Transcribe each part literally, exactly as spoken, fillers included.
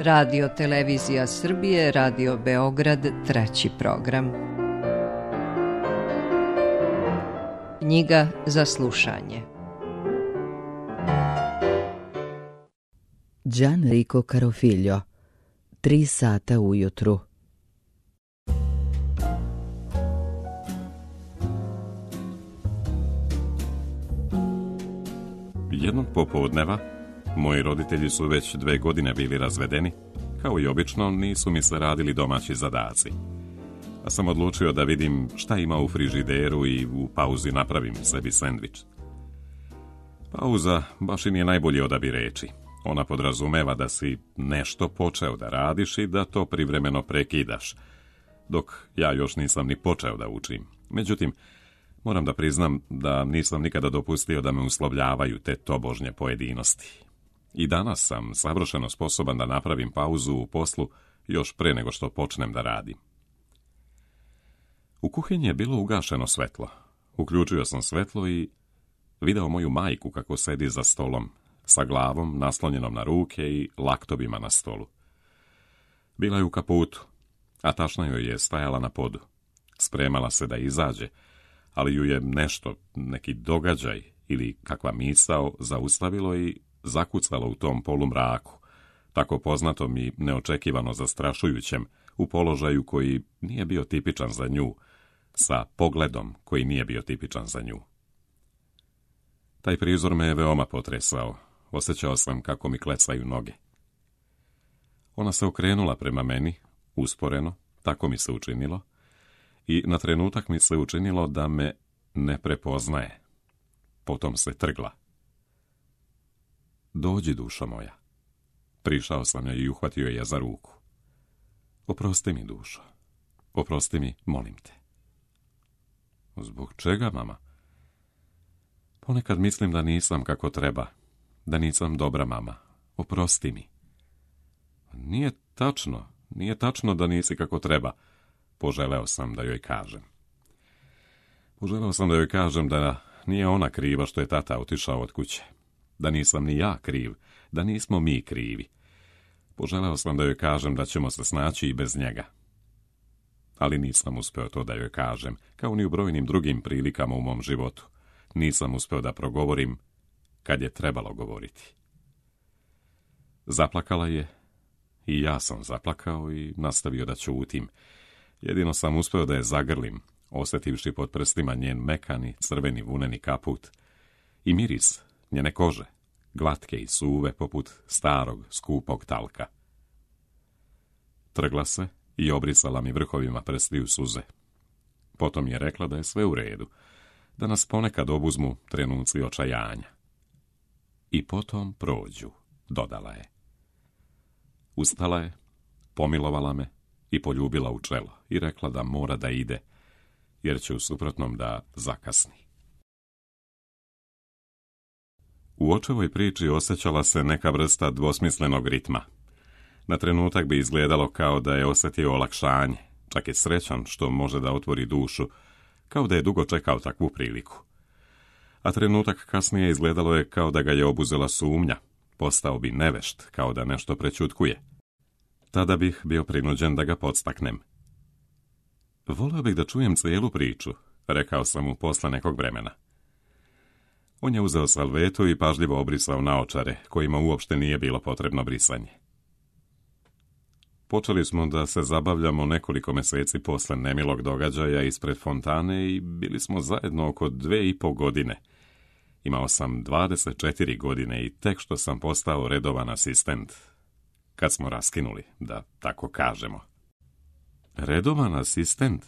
Radio Televizija Srbije, Radio Beograd, treći program. Knjiga za slušanje. Gianrico Carofiglio, Tri sata ujutru. Jednog popodneva, moji roditelji su već dve godine bili razvedeni, kao i obično nisu mi se radili domaći zadaci. A sam odlučio da vidim šta ima u frižideru i u pauzi napravim sebi sendvič. Pauza baš i nije najbolji odabir reči. Ona podrazumeva da si nešto počeo da radiš i da to privremeno prekidaš, dok ja još nisam ni počeo da učim. Međutim, moram da priznam da nisam nikada dopustio da me uslovljavaju te tobožnje pojedinosti. I danas sam savršeno sposoban da napravim pauzu u poslu još pre nego što počnem da radim. U kuhinji je bilo ugašeno svetlo. Uključio sam svetlo i video moju majku kako sedi za stolom, sa glavom naslonjenom na ruke i laktobima na stolu. Bila je u kaputu, a tašna joj je stajala na podu. Spremala se da izađe, ali ju je nešto, neki događaj ili kakva misao zaustavilo i zakucalo u tom polumraku, tako poznatom i neočekivano zastrašujućem, u položaju koji nije bio tipičan za nju, sa pogledom koji nije bio tipičan za nju. Taj prizor me je veoma potresao. Osjećao sam kako mi klecaju noge. Ona se okrenula prema meni, usporeno, tako mi se učinilo, i na trenutak mi se učinilo da me ne prepoznaje. Potom se trgla. Dođi, dušo moja. Prišao sam joj i uhvatio je za ruku. Oprosti mi, dušo. Oprosti mi, molim te. Zbog čega, mama? Ponekad mislim da nisam kako treba, da nisam dobra mama. Oprosti mi. Nije tačno, nije tačno da nisi kako treba, poželeo sam da joj kažem. Poželeo sam da joj kažem da nije ona kriva što je tata otišao od kuće, da nisam ni ja kriv, da nismo mi krivi. Poželeo sam da joj kažem da ćemo se snaći i bez njega. Ali nisam uspeo to da joj kažem, kao ni u brojnim drugim prilikama u mom životu. Nisam uspeo da progovorim kad je trebalo govoriti. Zaplakala je i ja sam zaplakao i nastavio da ćutim. Jedino sam uspeo da je zagrlim, osjetivši pod prstima njen mekani, crveni vuneni kaput i miris njene kože, glatke i suve poput starog, skupog talka. Trgla se i obrisala mi vrhovima prstiju suze. Potom je rekla da je sve u redu, da nas ponekad obuzmu trenuci očajanja. I potom prođu, dodala je. Ustala je, pomilovala me i poljubila u čelo i rekla da mora da ide, jer će u suprotnom da zakasni. U očevoj priči osjećala se neka vrsta dvosmislenog ritma. Na trenutak bi izgledalo kao da je osjetio olakšanje, čak je srećan što može da otvori dušu, kao da je dugo čekao takvu priliku. A trenutak kasnije izgledalo je kao da ga je obuzela sumnja, postao bi nevešt, kao da nešto prećutkuje. Tada bih bio prinuđen da ga podstaknem. Voleo bih da čujem cijelu priču, rekao sam mu posle nekog vremena. On je uzeo salvetu i pažljivo obrisao naočare, kojima uopšte nije bilo potrebno brisanje. Počeli smo da se zabavljamo nekoliko meseci posle nemilog događaja ispred fontane i bili smo zajedno oko dve i po godine. Imao sam dvadeset četiri godine i tek što sam postao redovan asistent, kad smo raskinuli, da tako kažemo. Redovan asistent?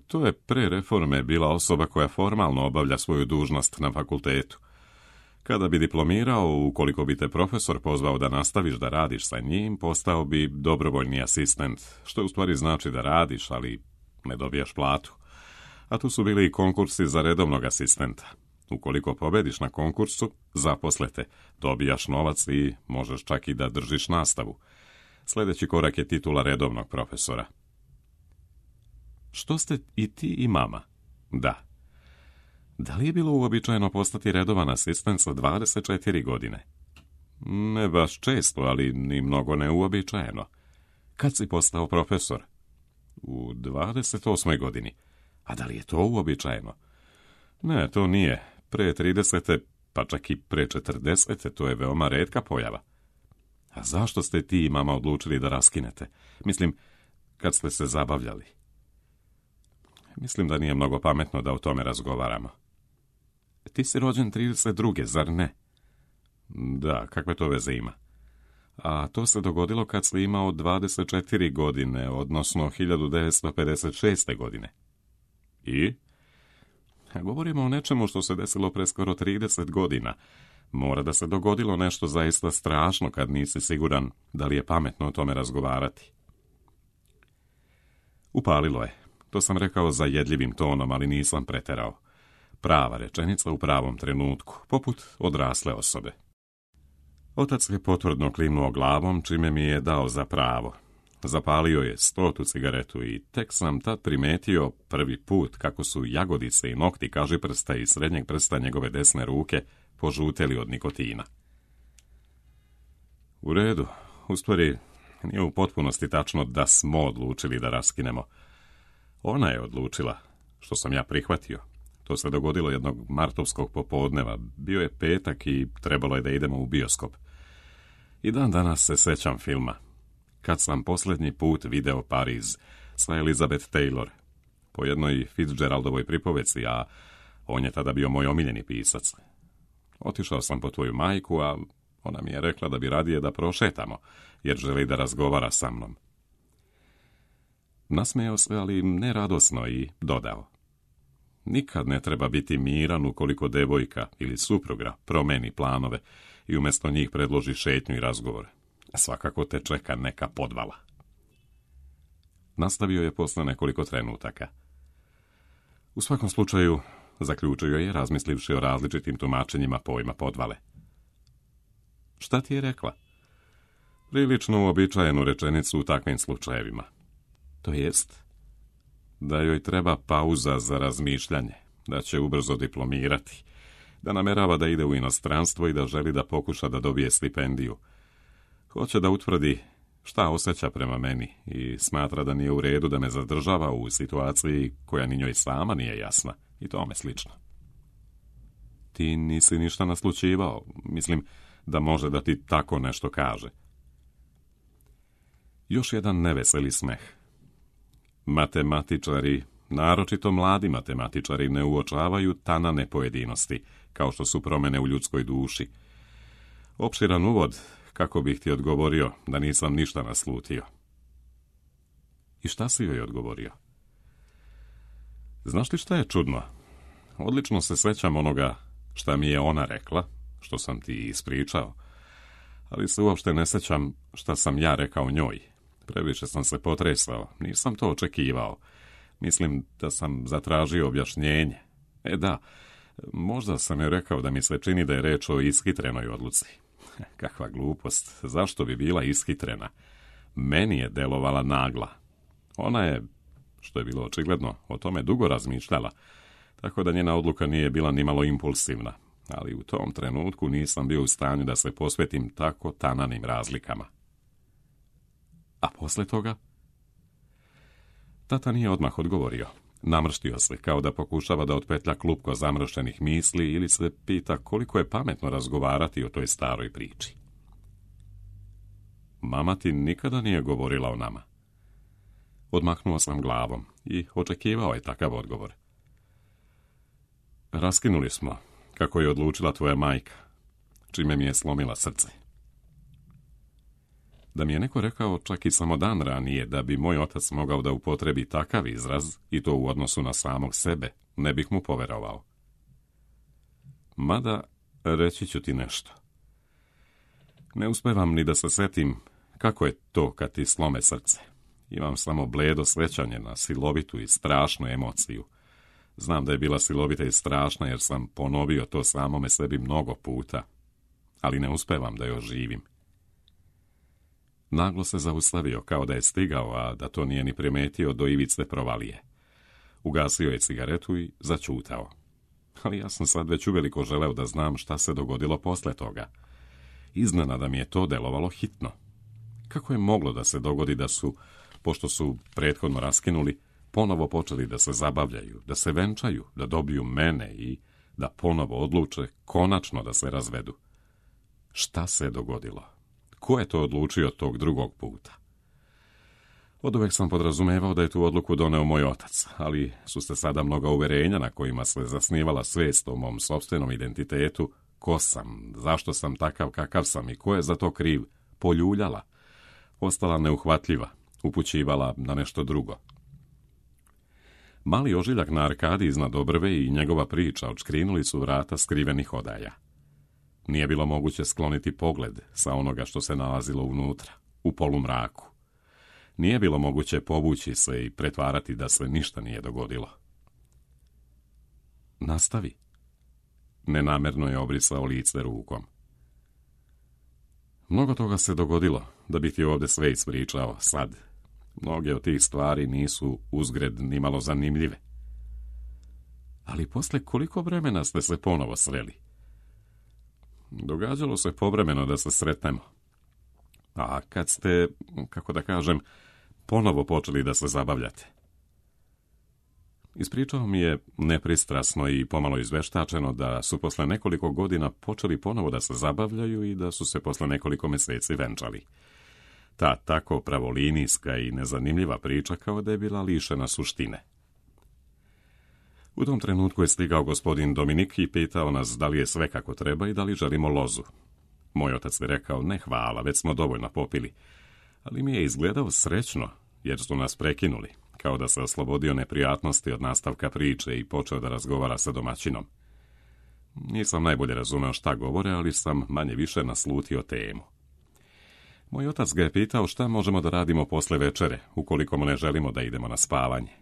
To je pre reforme bila osoba koja formalno obavlja svoju dužnost na fakultetu. Kada bi diplomirao, ukoliko bi te profesor pozvao da nastaviš da radiš sa njim, postao bi dobrovoljni asistent, što u stvari znači da radiš, ali ne dobijaš platu. A tu su bili i konkursi za redovnog asistenta. Ukoliko pobediš na konkursu, zaposlete, dobijaš novac i možeš čak i da držiš nastavu. Sljedeći korak je titula redovnog profesora. Što ste i ti i mama? Da. Da li je bilo uobičajeno postati redovan asistent sa dvadeset četiri godine? Ne baš često, ali ni mnogo neuobičajeno. Kad si postao profesor? U dvadeset osmoj godini. A da li je to uobičajeno? Ne, to nije. Pre tridesete, pa čak i pre četrdesete, to je veoma retka pojava. A zašto ste ti i mama odlučili da raskinete? Mislim, kad ste se zabavljali. Mislim da nije mnogo pametno da o tome razgovaramo. Ti si rođen trideset druge, zar ne? Da, kakve to veze ima? A to se dogodilo kad si imao dvadeset četiri godine, odnosno hiljadu devetsto pedeset šeste. godine. I? Govorimo o nečemu što se desilo pre skoro trideset godina. Mora da se dogodilo nešto zaista strašno kad nisi siguran da li je pametno o tome razgovarati. Upalilo je. To sam rekao zajedljivim tonom, ali nisam preterao. Prava rečenica u pravom trenutku, poput odrasle osobe. Otac je potvrdno klimnuo glavom, čime mi je dao za pravo. Zapalio je stotu cigaretu i tek sam tad primetio prvi put kako su jagodice i nokti kažiprsta i srednjeg prsta njegove desne ruke požuteli od nikotina. U redu, u stvari nije u potpunosti tačno da smo odlučili da raskinemo. Ona je odlučila, što sam ja prihvatio. To se dogodilo jednog martovskog popodneva. Bio je petak i trebalo je da idemo u bioskop. I dan danas se sećam filma. Kad sam posljednji put video Pariz sa Elizabeth Taylor, po jednoj Fitzgeraldovoj pripoveci, a on je tada bio moj omiljeni pisac. Otišao sam po tvoju majku, a ona mi je rekla da bi radije da prošetamo, jer želi da razgovara sa mnom. Nasmejao se, ali ne radosno, i dodao: nikad ne treba biti miran ukoliko devojka ili supruga promeni planove i umjesto njih predloži šetnju i razgovor. Svakako te čeka neka podvala. Nastavio je posle nekoliko trenutaka. U svakom slučaju, zaključio je, razmislivši o različitim tumačenjima pojma podvale. Šta ti je rekla? Prilično uobičajenu rečenicu u takvim slučajevima. To jest, da joj treba pauza za razmišljanje, da će ubrzo diplomirati, da namerava da ide u inostranstvo i da želi da pokuša da dobije stipendiju. Hoće da utvrdi šta osjeća prema meni i smatra da nije u redu da me zadržava u situaciji koja ni njoj sama nije jasna i tome slično. Ti nisi ništa naslućivao, mislim da može da ti tako nešto kaže. Još jedan neveseli smeh. Matematičari, naročito mladi matematičari, ne uočavaju tanane pojedinosti, kao što su promjene u ljudskoj duši. Opširan uvod, kako bih ti odgovorio da nisam ništa naslutio. I šta si joj odgovorio? Znaš li šta je čudno? Odlično se sećam onoga šta mi je ona rekla, što sam ti ispričao, ali se uopšte ne sećam šta sam ja rekao njoj. Previše sam se potresao, nisam to očekivao. Mislim da sam zatražio objašnjenje. E da, možda sam joj rekao da mi se čini da je reč o ishitrenoj odluci. Kakva glupost, zašto bi bila ishitrena? Meni je delovala nagla. Ona je, što je bilo očigledno, o tome dugo razmišljala, tako da njena odluka nije bila nimalo impulsivna, ali u tom trenutku nisam bio u stanju da se posvetim tako tananim razlikama. A posle toga? Tata nije odmah odgovorio. Namrštio se, kao da pokušava da otpetlja klupko zamršenih misli ili se pita koliko je pametno razgovarati o toj staroj priči. Mama ti nikada nije govorila o nama. Odmahnuo sam glavom i očekivao je takav odgovor. Raskinuli smo, kako je odlučila tvoja majka, čime mi je slomila srce. Da mi je neko rekao čak i samo dan ranije da bi moj otac mogao da upotrebi takav izraz, i to u odnosu na samog sebe, ne bih mu poverovao. Mada, reći ću ti nešto. Ne uspevam ni da se setim kako je to kad ti slome srce. Imam samo bledo srećanje na silovitu i strašnu emociju. Znam da je bila silovita i strašna jer sam ponovio to samome sebi mnogo puta, ali ne uspevam da joj živim. Naglo se zaustavio, kao da je stigao, a da to nije ni primetio do ivice provalije. Ugasio je cigaretu i začutao. Ali ja sam sad već uveliko želeo da znam šta se dogodilo posle toga. Iznenada mi je to delovalo hitno. Kako je moglo da se dogodi da su, pošto su prethodno raskinuli, ponovo počeli da se zabavljaju, da se venčaju, da dobiju mene i da ponovo odluče konačno da se razvedu? Šta se dogodilo? Ko je to odlučio tog drugog puta? Oduvek sam podrazumevao da je tu odluku doneo moj otac, ali su se sada mnoga uverenja na kojima se zasnivala svijest o mom sopstvenom identitetu, ko sam, zašto sam takav kakav sam i ko je za to kriv, poljuljala, ostala neuhvatljiva, upućivala na nešto drugo. Mali ožiljak na arkadi iznad obrve i njegova priča odškrinuli su vrata skrivenih odaja. Nije bilo moguće skloniti pogled sa onoga što se nalazilo unutra, u polumraku. Nije bilo moguće povući se i pretvarati da se ništa nije dogodilo. Nastavi. Nenamerno je obrisao lice rukom. Mnogo toga se dogodilo, da bi ti ovdje sve ispričao sad. Mnoge od tih stvari nisu uzgred nimalo zanimljive. Ali posle koliko vremena ste se ponovo sreli? Događalo se povremeno da se sretnemo. A kad ste, kako da kažem, ponovo počeli da se zabavljate? Ispričao mi je nepristrasno i pomalo izveštačeno da su posle nekoliko godina počeli ponovo da se zabavljaju i da su se posle nekoliko mjeseci venčali. Ta tako pravolinijska i nezanimljiva priča kao da je bila lišena suštine. U tom trenutku je stigao gospodin Dominik i pitao nas da li je sve kako treba i da li želimo lozu. Moj otac je rekao, ne hvala, već smo dovoljno popili, ali mi je izgledao srećno, jer su nas prekinuli, kao da se oslobodio neprijatnosti od nastavka priče i počeo da razgovara sa domaćinom. Nisam najbolje razumeo šta govore, ali sam manje više naslutio temu. Moj otac ga je pitao šta možemo da radimo posle večere, ukoliko mu ne želimo da idemo na spavanje.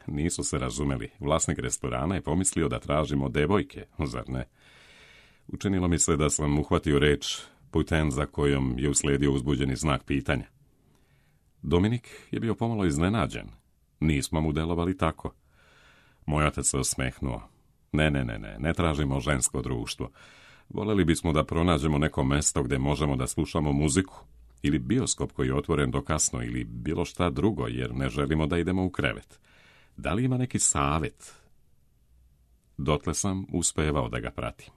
Nisu se razumeli. Vlasnik restorana je pomislio da tražimo devojke, zar ne? Učinilo mi se da sam uhvatio reč putem za kojom je uslijedio uzbuđeni znak pitanja. Dominik je bio pomalo iznenađen. Nismo mu delovali tako. Moj otac se osmehnuo. Ne, ne, ne, ne, ne tražimo žensko društvo. Voleli bismo da pronađemo neko mesto gdje možemo da slušamo muziku, ili bioskop koji je otvoren do kasno, ili bilo šta drugo, jer ne želimo da idemo u krevet. Da li ima neki savjet? Dotle sam uspevao da ga pratim.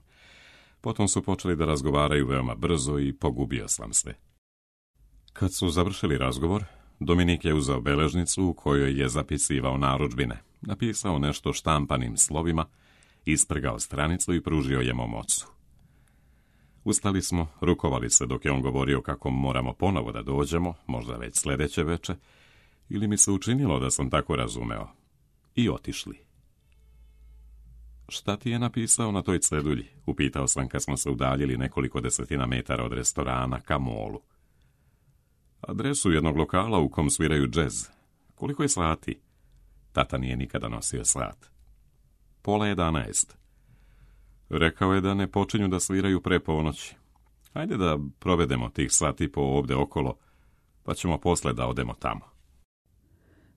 Potom su počeli da razgovaraju veoma brzo i pogubio sam se. Kad su završili razgovor, Dominik je uzeo beležnicu u kojoj je zapisivao narudžbine, napisao nešto štampanim slovima, isprgao stranicu i pružio je mom ocu. Ustali smo, rukovali se dok je on govorio kako moramo ponovo da dođemo, možda već sljedeće veče, ili mi se učinilo da sam tako razumeo, i otišli. Šta ti je napisao na toj cedulji? Upitao sam kad smo se udaljili nekoliko desetina metara od restorana ka molu. Adresu jednog lokala u kom sviraju džez. Koliko je sati? Tata nije nikada nosio sat. Pola jedanaest. Rekao je da ne počinju da sviraju pre ponoći. Hajde da provedemo tih sati po ovdje okolo, pa ćemo posle da odemo tamo.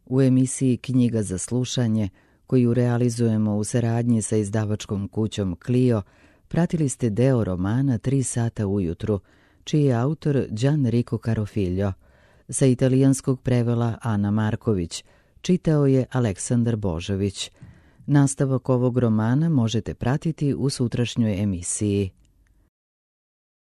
U emisiji Knjiga za slušanje, koju realizujemo u saradnji sa izdavačkom kućom Clio, pratili ste deo romana Tri sata ujutru, čiji je autor Gianrico Carofiglio. Sa italijanskog prevela Ana Marković, čitao je Aleksandar Božović. Nastavak ovog romana možete pratiti u sutrašnjoj emisiji.